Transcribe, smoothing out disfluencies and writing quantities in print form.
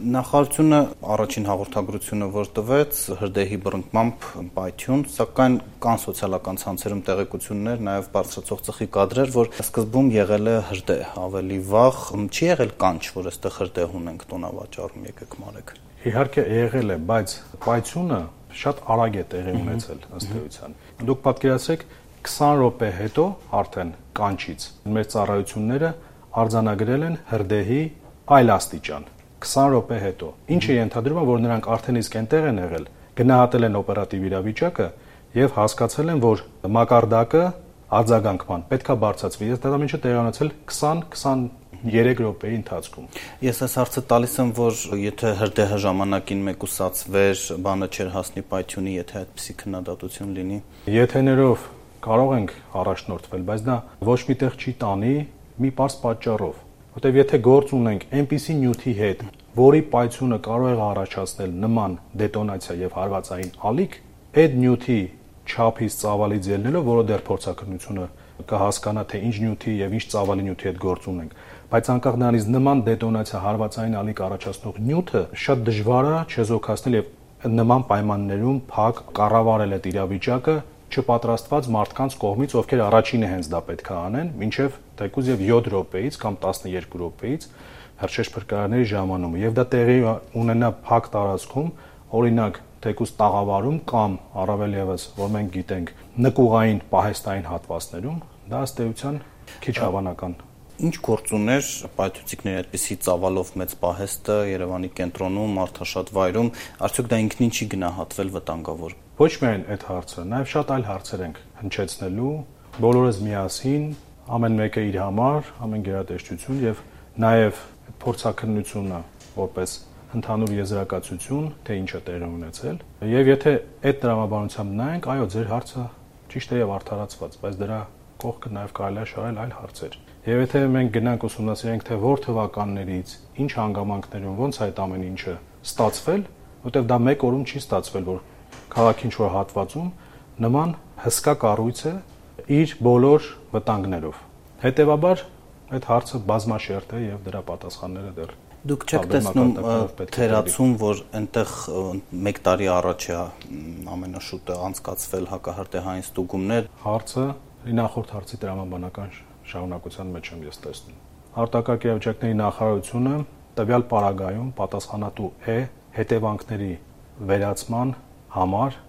Նախարարությունը առաջին հաղորդագրությունը, որ տվեց, հրդեհի բռնկմամբ պայթյուն, սակայն կան սոցիալական ցանցերում տեղեկություններ, նաև բարձրացող ծխի կադրեր, որ սկզբում եղել է հրդեհ, ավելի վաղ չի եղել կանչ, որ այստեղ հրդեհ ունենք տոնավաճառում, եկեք մարեք։ Իհարկե եղել է, բայց պայթյունը շատ արագ է տեղի ունեցել ըստ էության։ Դուք պատկերացրեք 20 րոպե հետո արդեն կանչից մեր ծառայությունները արձանագրել են հրդեհի այլ աստիճան 20 րոպե հետո, ինչը ենթադրում է, որ նրանք արդեն իսկ այնտեղ են եղել, գնահատել են օպերատիվ իրավիճակը եւ հասկացել են, որ մակարդակը արձագանքման պետքա բարձրացվի։ Այս դեպքը տեղի ունեցել 20-23 րոպեի ընթացքում։ Ես այս հարցը տալիս եմ, որ եթե հրդեհը ժամանակին մեկուսացվեր, բանը չէր հասնի պայթյունի, եթե այդպիսի քննադատություն լինի։ Եթեներով կարող ենք առաջնորդվել, բայց դա ոչ միտեղ չի տանի մի պարզ պատճառով։ Որտեւ եթե գործ ունենք այնպիսի նյութի հետ, որի պայթյունը կարող է առաջացնել նման դետոնացիա եւ հարվածային ալիք, այդ նյութի չափից ծավալից ելնելով, որը դեռ փորձակնությունը կհասկանա, թե ինչ նյութի եւ ինչ ծավալի նյութի հետ գործ ունենք, բայց անկախ նրանից նման դետոնացիա հարվածային ալիք առաջացնող նյութը շատ դժվար է չեզոքացնել եւ նման պայմաններում փակ կառավարել այդ իրավիճակը չպատրաստված մարդկանց կողմից, ովքեր առաջինը հենց դա պետք է անեն, մինչև թեկուզ եւ 7 րոպեից կամ 12 րոպեից հրշեջ փրկարարների ժամանումը եւ դա տեղի ունենա փակ տարածքում, օրինակ թեկուզ տաղավարում կամ առավել եւս, որ մենք գիտենք, նկուղային պահեստային հատվածներում, դա ըստ էության քիչ հավանական։ Ինչ գործ ուներ պայթուցիկների այդպիսի ծավալով մեծ պահեստը Երևանի կենտրոնում, մարդաշատ վայրում, արդյոք դա ինքնին չի գնահատվել վտանգավոր։ Ոչ միայն այդ հարցը, նաև շատ այլ հարցեր ենք հնչեցնելու, բոլորս միասին, ամեն մեկը իր համար, ամեն գերատեսչություն եւ նաև փորձակնությունը որպես ընդհանուր եզրակացություն, թե ինչ է տեղի ունեցել։ Եվ եթե այդ տրամաբանությամբ նայենք, այո, ձեր հարցը ճիշտ է եւ արդարացված, բայց դրա կողքը նաև կարելի է շարել այլ հարցեր։ Եվ եթե մենք գնանք ուսումնասիրենք, թե որ թվականներից, ինչ հանգամանքներում ոնց է այդ ամեն ինչը ստացվել, որտեղ դա մեկ օրում չի ստացվել, որ քաղաքի ինչ-որ հատվածում նման հսկա կառույց է իր բոլոր վտանգներով։ Հետևաբար այդ հարցը բազմաշերտ է եւ դրա պատասխանները դեռ Դուք չեք տեսնում թերացում, որ այնտեղ 1 տարի առաջ է ամենաշուտը անցկացվել հակահրդեհային ստուգումներ։ Հարցը նախորդ հարցի տրամաբանական շարունակության մեջ եմ ես տեսնում։ Արտակարգ իրավիճակների նախարարությունը տվյալ պարագայում պատասխանատու է հետևանքների վերացման համար